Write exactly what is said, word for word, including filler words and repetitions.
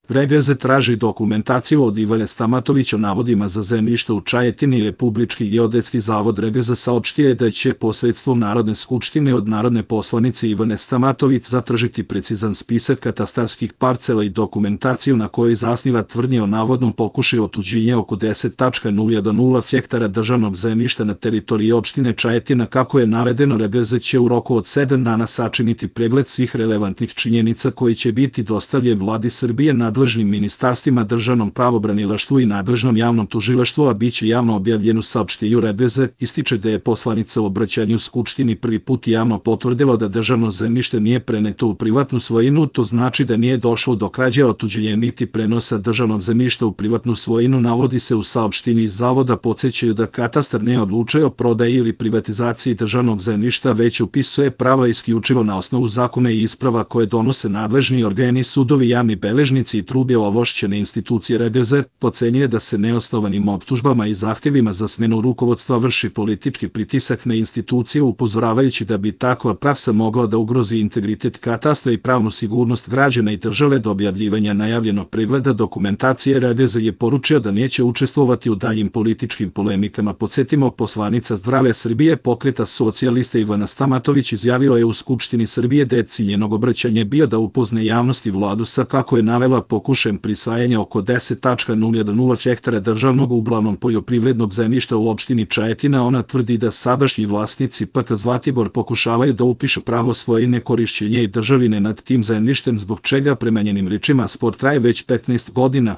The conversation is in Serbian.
ReGZ traži dokumentaciju od Ivana Stamatovića o navodima za zemljište u Čajetini. Republički geodetski zavod ReGZ saopštio je da će posredstvom Narodne skupštine od narodne poslanice Ivane Stamatović zatražiti precizan spisak katastarskih parcela i dokumentaciju na kojoj zasniva tvrdnje o navodnom pokušaju otuđenja oko deset zarez nula jedan hektara državnog zemljišta na teritoriji opštine Čajetina. Kako je navedeno, ReGZ će u roku od sedam dana sačiniti pregled svih relevantnih činjenica koji će biti dostavljen Vladi Srbije, nadležnim ministarstvima, državnom pravobranilaštvu i nadležnom javnom tužilaštvu, a biće javno objavljen u saopštenju. ReGZ ističe da je poslanica u obraćanju Skupštini prvi put javno potvrdila da državno zemljište nije preneto u privatnu svojinu. To znači da nije došlo do krađe, otuđenja niti prenosa državnog zemljišta u privatnu svojinu, navodi se u saopštenju iz zavoda. Podsećaju da katastar ne odlučuje o prodaji ili privatizaciji državnog zemljišta, već upisuje prava isključivo na osnovu zakona i isprava koje donose nadležni organi, sudovi, javni beležnici i druge ovlašćene institucije. ReGZ ocenjuje da se neosnovanim optužbama i zahtjevima za smenu rukovodstva vrši politički pritisak na institucije, upozoravajući da bi takva praksa mogla da ugrozi integritet katastra i pravnu sigurnost građana i države. Do objavljivanja najavljenog pregleda dokumentacije ReGZ je poručio da neće učestvovati u daljim političkim polemikama. Podsjetimo, poslanica Zdrave Srbije Pokreta socijalista Ivana Stamatović izjavila je u Skupštini Srbije da je cilj njenog obraćanja bio da upozne javnost i vladu sa, kako je navela, pokušajem prisvajanja oko deset zarez nula jedan hektara državnog uglavnom poljoprivrednog zemljišta u opštini Čajetina. Ona tvrdi da sadašnji vlasnici P K Zlatibor pokušavaju da upišu pravo svojine, korišćenje i državine nad tim zemljištem, zbog čega prema njenim rečima spor traje već petnaest godina.